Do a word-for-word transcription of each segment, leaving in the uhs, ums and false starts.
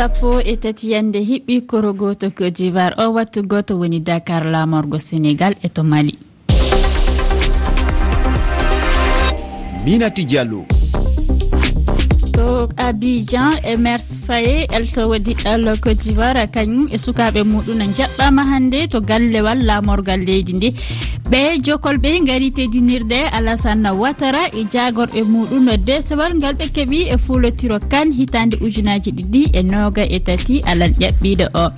Sappo e tati yande hiɓɓi koro gooto Côte d'Ivoire, o wattu gooto woni Dakar, laamorgo Sénégal e to Mali. Minati Diallo. To Abidjan, Emers Faye, eltowo diɗɗal Côte d'Ivoire, kañum e sukaaɓe muɗum njaɓɓaama hannde to gallewal laamorgal leydi ndi. Ɓe jokol ɓe ngari teddinirde Alassane Ouattara e jaagorɓe muɗum no deesewal ngal ɓe keɓi e fuulotiro kan hitaande ujunaaji ɗiɗi e nooga e tati alal ƴaɓɓiiɗo o.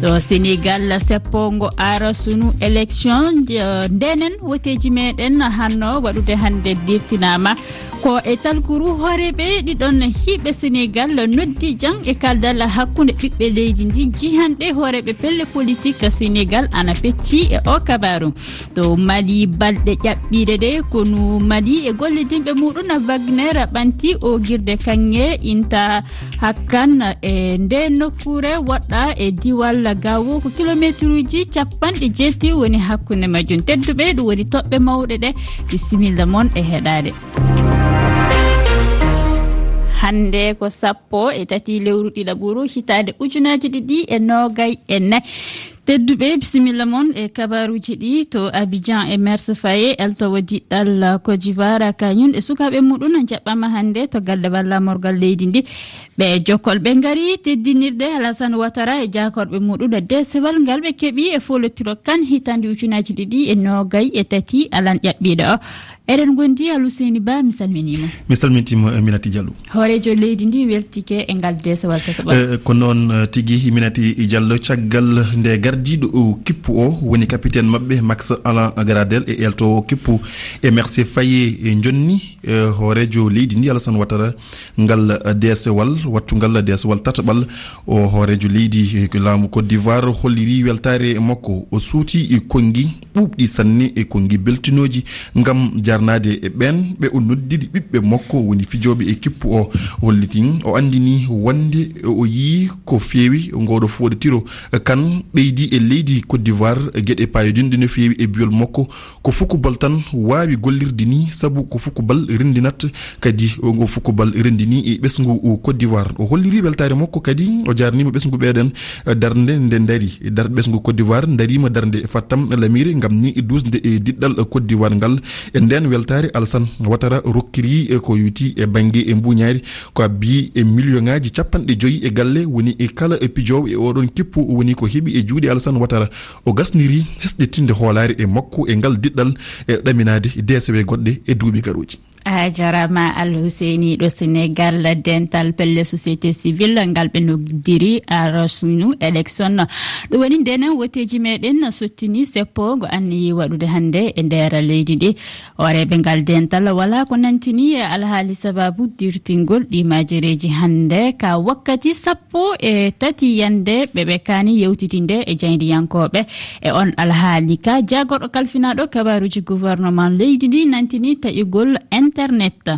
To Sénégal, seppongo ara sunu élection, eh, ndenen woteeji meɗen hanno waɗude hannde dirtinaama. Ko e talkuru hooreeɓe ɗiɗon hiiɓe Sénégal noddi jang e kaldal hakkunde ɓiɓɓe leydi ndi, jihanɗe hooreeɓe pelle politique Sénégal ana pecci e o kabaru. To Mali, balɗe ƴaɓɓiiɗe ɗe konu Mali e gollidinɓe muɗum Wagner ɓanti o girde kaŋŋe inta hakkan e nde nokkuure woɗɗa e diwal Gawo, ko kilomeetruuji capanɗe jeetati woni hakkunde majjum. Tedduɓe, ɗum woni toɓɓe mawɗe ɗe. Bisimilla mon e heɗaade. Hannde ko sappo e tati lewru ɗiɗaɓuru hitaande ujunaaji ɗiɗi e noogay e nayi. Tedduɓe, bisimilla mon e kabaruuji ɗi. To Abidjan, Emers Faye, eltowo diɗɗal Côte d'Ivoire, kañum e sukaaɓe muɗum njaɓɓaama hannde to galle walla morgal leydi ndi. Ɓe jokol ɓe ngari teddinirde Alassane Ouattara e jaakorɓe muɗum e deesewal ngal ɓe keɓi e foolotiro kan hitaande ujunaaji ɗiɗi e noogay e tati alan ƴaɓɓiiɗo o. Eɗen ngondi Aluseyni Ba, mi salminiima. Mi salmintiima, eh, Minati Diallo. Hooreejo leydi ndi weltike e ngal deesewal tataɓal. Eh, ko noon, eh, tigi, Minati Diallo, caggal nde gardiiɗo o kippu o woni capitaine maɓɓe Max Alain Gradel e eltowo kippu e Mercé Faye, eh, jonni, eh, hooreejo leydi ndi Alassane Ouattara ngal, eh, deesewal, wattungal deesewal tataɓal. O hooreejo leydi, eh, laamu Côte d'Ivoire holliri weltaare makko. O suuti, eh, konngi ɓuuɓɗi sanne e konngi beltinooji ngam jarnaade e ɓeen ɓe o noddiri ɓiɓɓe makko woni fijooɓe e kippu o. Hollitin o anndini wonde o yii ko feewi ngooɗo foɗetiro kan ɓeydi e leydi Côte d'Ivoire geɗe paayodinɗe no feewi e biyol makko. Ko fukubal tan waawi gollirde ni, sabu ko fukubal renndinat, kadi o ngo fukubal renndini e ɓesngu Côte d'Ivoire. O holliri weltaare makko kadi, o jaarniima ɓesngu ɓeeɗen, eh, darnde nde ndari. Dar-, ɓesngu Côte d'Ivoire ndariima darnde e fattam lamire ngam ni duusde e diɗɗal Côte d'Ivoire ngal. E ndeen weltaare, Alassane Ouattara rokkiri e ko yuti e bannge e mbuuñaari, ko abbi e miliyoŋaaji capanɗe joyi e galle woni e kala e pijoowo e oɗon kippu woni ko heɓi e juuɗe Alassane Ouattara. O gasniri hesɗitinde hoolaare e makko e ngal diɗɗal e ɗaminaade deesewe goɗɗe e duuɓi garooji. A jarama Al Husseini ɗo Senegal, dental pelle société civile ngal ɓe noddiri arasunu élection. Ɗum woni ndenen woteeji meɗen sottini seppo ngo anniyi waɗude hannde e nder leydi ndi. Hooreeɓe ngal dental wala ko nantini e alhaali sababu dirtingol ɗi majereeji hannde ka wakkati sappo e tati yande ɓe ɓe kaani yewtitinde e jayndiyankooɓe e on alhaali ka. Jaagorɗo kalfinaaɗo kabaaruuji gouvernement leydi ndi nantini taƴugol internet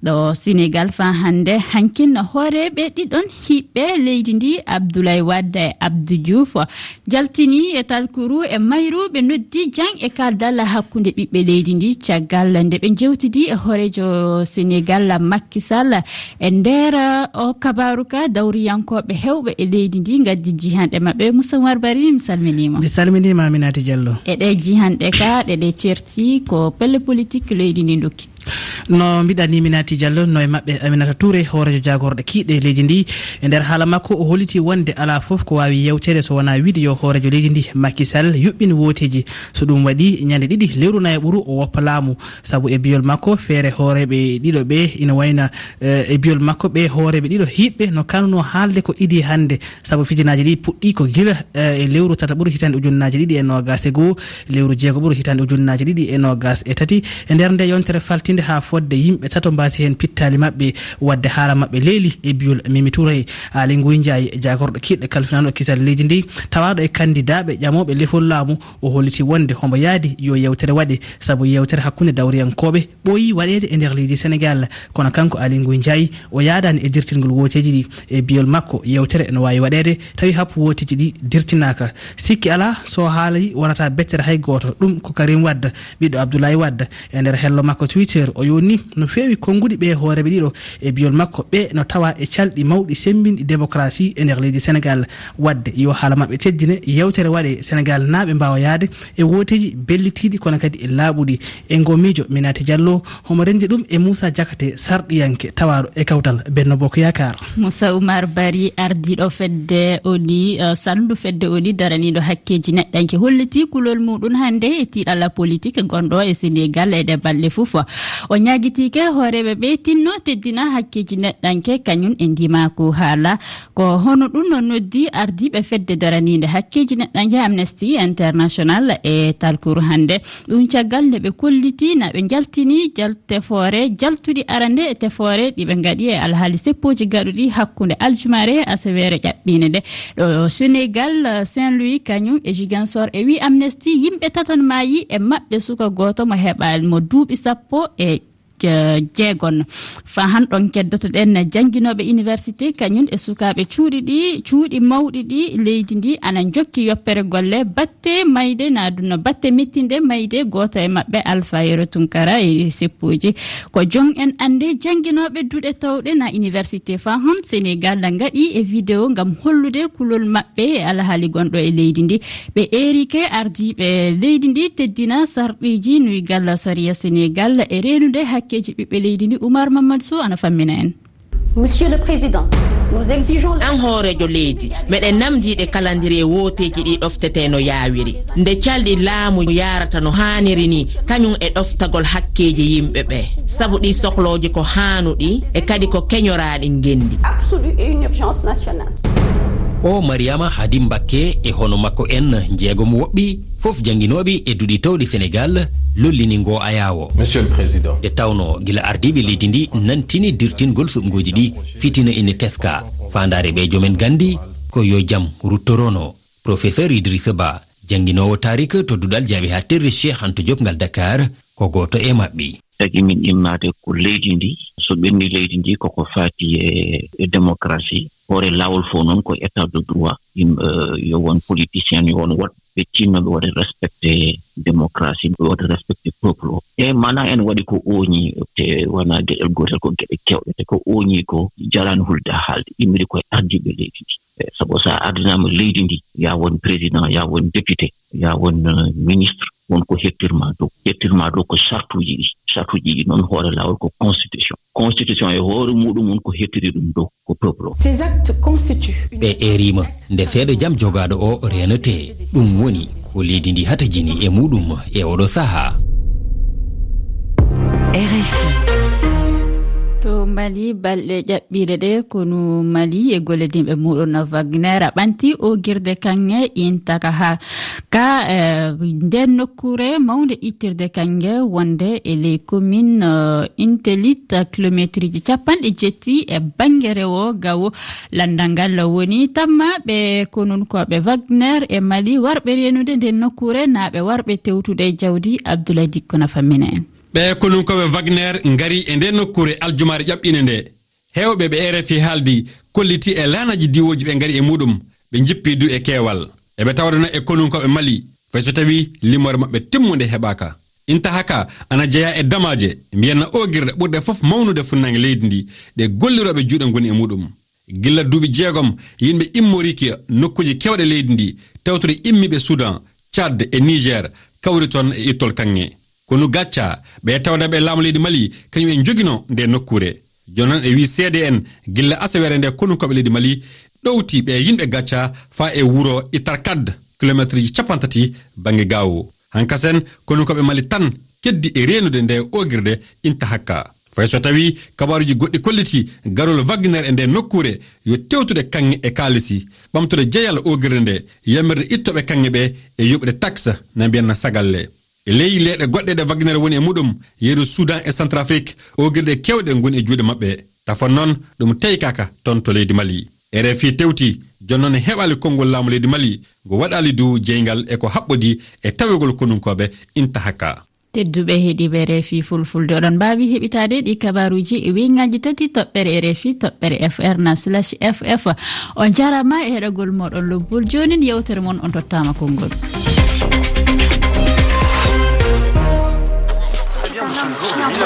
ɗo Senegal faa hannde. Hankin hooreeɓe ɗiɗon hiɓɓe leydi ndi, Abdoulaye Wade e Abdou Diouf, jaltini e talkuru e mayru ɓe noddi jang e kaldal hakkunde ɓiɓɓe leydi ndi caggal nde ɓe jewtidi e hooreejo Senegal Macky Sall. E nder o kabaaru ka, dawriyankooɓe hewɓe e leydi ndi ngaddi jihanɗe maɓɓe. Moussa Oumar Bari, mi salminiima. Mi salminiima, Aminata Diallo. E ɗe jihanɗe ka, ɗe ɗe certi ko pelle politique leydi ndi ndokki. No mbiɗa ni, Minati Diallo, no e maɓɓe Aminata Touré, hooreejo jaagorɗe kiiɗe leydi ndi. E nder haala makko, o holliti wonde alaa fof ko waawi yewteede so wonaa wiide yo hooreejo leydi ndi, Macky Sall, yuɓɓin wooteeji. So ɗum waɗi, ñande ɗiɗi lewru nayaɓuru, o woppa laamu. Sabu e biyol makko, feere hooreeɓe ɗiɗo ɓe ina wayna, eh, e biyol makko, ɓe hooreeɓe ɗiɗo hiiɓɓe no kanunoo haalde ko idii hannde. Sabu fijinaaji ɗi puɗɗii ko gila, eh, e lewru tataɓuru hitaande ujunnaaji ɗiɗi e noogaas e goo, lewru jeegoɓuru hitaande ujunnaaji ɗiɗi e noogaas e tati. E nder nde yontere faltinde haa fodde yimɓe tato mbaasi heen pittaali maɓɓe, waɗde haala maɓɓe leeli e biyol Mimi Touré. Aly Ngouille Ndiaye, jaagorɗo kiiɗɗe kalfinaaɗo kisal leydi ndi, tawaaɗo e kanndidaaɓe ƴamooɓe lefol laamu, o holliti wonde hombo yaadi yo yewtere waɗe, sabu yewtere hakkunde dawriyankooɓe ɓooyi waɗeede e nder leydi Senegal. Kono kanko Aly Ngouille Ndiaye, o yaadaani e dirtingol wooteeji ɗi. E biyol makko, yewtere no waawi waɗeede tawi hap wooteeji ɗi dirtinaaka. Sikki alaa, so haali wonata bettere hay gooto. Ɗum ko Karim Wade, ɓiɗɗo Abdoulaye Wade. E nder hello makko Twitter, O yoni no feewi konnguɗi ɓe hooreeɓe ɗiɗo e biyol makko ɓe no tawa e calɗi mawɗi semmbinɗi démocratie e nder leydi Senegal. Waɗde yo haala maɓɓe teddine, yewtere waɗe Senegal naaɓe mbaawa yahde e wooteeji bellitiiɗi kono kadi e laaɓuɗi. E ngo miijo Minati Diallo, homo renndi ɗum e Moussa Diakate, sarɗiyanke tawaaɗo e kawtal Benno Bokk Yaakaar. Moussa Oumar Bari, ardiiɗo fedde ONU, eh, salndu fedde ONU daraniiɗo hakkeeji neɗɗanke, holliti kulol muɗum hannde e tiiɗalla politik gonɗo e Senegal e ɗe balɗe fof. O ñaagitiike hooreeɓe ɓe tinno teddina hakkeeji neɗɗanke kañum e ndimaaku haala. Ko hono ɗum no noddi ardiiɓe fedde daraniinde hakkeeji neɗɗanke Amnesty International e talkuru hannde. Ɗum caggal nde ɓe kolliti na ɓe njaltini jal-, tefoore jaltuɗi arande e tefoore ɗi ɓe ngaɗi e alhaali seppooji gaɗuɗi hakkunde aljumare e asaweere ƴaɓɓiinde nde. Ɗo Senegal, Saint-Louis kañum e Ziguinchor e wi Amnesty yimɓe taton maayi e maɓɓe suka gooto mo heɓaali mo duuɓi sappo e je-, jeegon. Fa han ɗon keddotoɗen jannginooɓe université kañum e sukaaɓe cuuɗi ɗi, cuuɗi mawɗi ɗi leydi ndi ana njokki yoppere golle batte mayde na dunno batte mettinde mayde gooto e maɓɓe Alpha Yero Tunkara e seppuji. Ko jon en annde jannginooɓe duɗe towɗe na université fa hon Senegal na ngaɗi e vidéo ngam hollude kulol maɓɓe e alhaali gonɗo e leydi ndi. Ɓe eerike ardiiɓe leydi ndi teddina sarɗiiji nuygal sariya Senegal e reenude hakkeeji ɓiɓɓe leydi ndi. Oumar Mamadou Sow ana fammina en. Monsieur le Président, nous exigeons le An hooreejo leydi, meɗen namdiiɗe kalandiriye wooteeji ɗi ɗoftetee no yaawiri. Nde calɗi laamu yaarata no haaniri ni, kañum e ɗoftagol hakkeeji yimɓe ɓe. Sabu ɗi soklooji ko haanuɗi e kadi ko keñoraaɗi ngenndi. Absolue et une urgence nationale. O Mariama Hadim Mbakke e hono makko en jeegom woɓɓi, fof jannginooɓe e duɗi towɗi Senegal, lollini ngo ayaawo. Monsieur le Président. Nde tawnoo gila ardiiɓe leydi ndi nantini dirtingol suɓngooji ɗi, fitina ina teska. Faandaare ɓe jomen ganndi ko yo jam ruttorono. Professeur Idrissa Ba, jannginoowo taariik to duɗal jaaɓi haaɗtirde Cheikh Anta Diop ngal Dakar, ko gooto e maɓɓe. Tagi min immaade ko leydi ndi, so ɓenni leydi ndi koko faati e, e démocratie. Hoore laawol fof noon ko état de droit. Yim-, eh, yo won politicien, yo won woɗɓe tinnooɓe waɗa respecté démocratie, ɓe waɗa respecté peuple o. E mana en waɗi ko ooñi, te wona geɗel gootel, ko geɗe kewɗe, te ko ooñi ko jaraani hulde haalde, immiri koye ardiiɓe leydi ndi. Eh, sabu so a ardinaama leydi ndi, ya won président, ya won député, ya won, eh, ministre, won ko hettirma dow. Hettirma dow ko sartuuji ɗi. Sartuuji ɗi noon hoore laawol ko constitution. Constitution e hoore muɗum won ko hettiri ɗum dow, ko peuple o. Ces actes constituent une Ɓe eerima nde seeɗa jam jogaaɗo o reenete. Ɗum woni ko leydi ndi hatajini e muɗum e oɗo sahaa. R F I. To Mali, balɗe ƴaɓɓiiɗe ɗe konu Mali e gollodinɓe muɗum no Wagner ɓanti ogirde kaŋŋe intaka ha ka, eh, nden nokkuure mawnde ittirde kaŋŋe wonde e ley commune, eh, Intelit, kilometriji capanɗe jetti e bannge rewo gawo landal ngal woni. Tamma ɓe konunkooɓe Wagner e Mali warɓe reenude nden nokkuure, naa ɓe warɓe tewtude e jawdi. Abdoulaye Dikko na fammina en. Ɓe konunkooɓe Wagner ngari e nden nokkuure aljumaare ƴaɓɓiinde nde. Heewɓe ɓe R F I haaldi kolliti e laanaaji diwooji ɓe ngari e muɗum, ɓe njippi du e keewal. Eɓe tawdana e konunkooɓe Mali, fay so tawi limoore maɓɓe timmunde heɓaaka. Inta haka ana jeyaa e damaaje, mbiyanna oogirɗe ɓurɗe fof mawnude funnaange leydi ndi, ɗe gollirooɓe juuɗe ngoni e muɗum. Gilla duuɓi jeegom, yimɓe immoriiki nokkuuji keewɗe leydi ndi, tawtude immiiɓe Sudan, Tchad e Niger, kawri toon e ittol kaŋŋe. Kono gacca, ɓe tawdaɓe laamu leydi Mali, kañum en njogino nde nokkuure. Jooni noon e wii C D N, gilla asaweere nde konunkooɓe leydi Mali ɗowti ɓe yimɓe gacca faa e wuro Itarkad, kilometriji capanɗe tati bannge Gaawo. Hankasen, konunkooɓe Mali tan keddi e reenude nde oogirde inta hakka. Fay so tawii kabaaruuji goɗɗi kolliti garol Wagner e nde nokkuure yo tewtude kaŋŋe e kaalisi, ɓamtude jeyal oogirde nde, yamirde ittooɓe kaŋŋe ɓe e yoɓude taxe na mbiyanna sagalle. E ley leyɗe goɗɗe ɗe Wagner woni e muɗum, yeru Sudan e Centrafrique, oogirɗe keewɗe ngoni e juuɗe maɓɓe. Tafon noon, ɗum teykaaka toon to leydi Mali. R F I tewti, jooni noon heɓaali konngol laamu leydi Mali, ngo waɗaali du jeyngal e ko haɓɓodii e tawegol konunkooɓe inta hakka. Tedduɓe heɗiiɓe R F I Fulfulde, oɗon mbaawi heɓitaade ɗi kabaaruuji e weñŋaaji tati, toɓɓere R F I, toɓɓere F R na slash F F. On njaaraama e heɗagol mooɗon lobbol. Joonin yewtere mon, on tottaama konngol.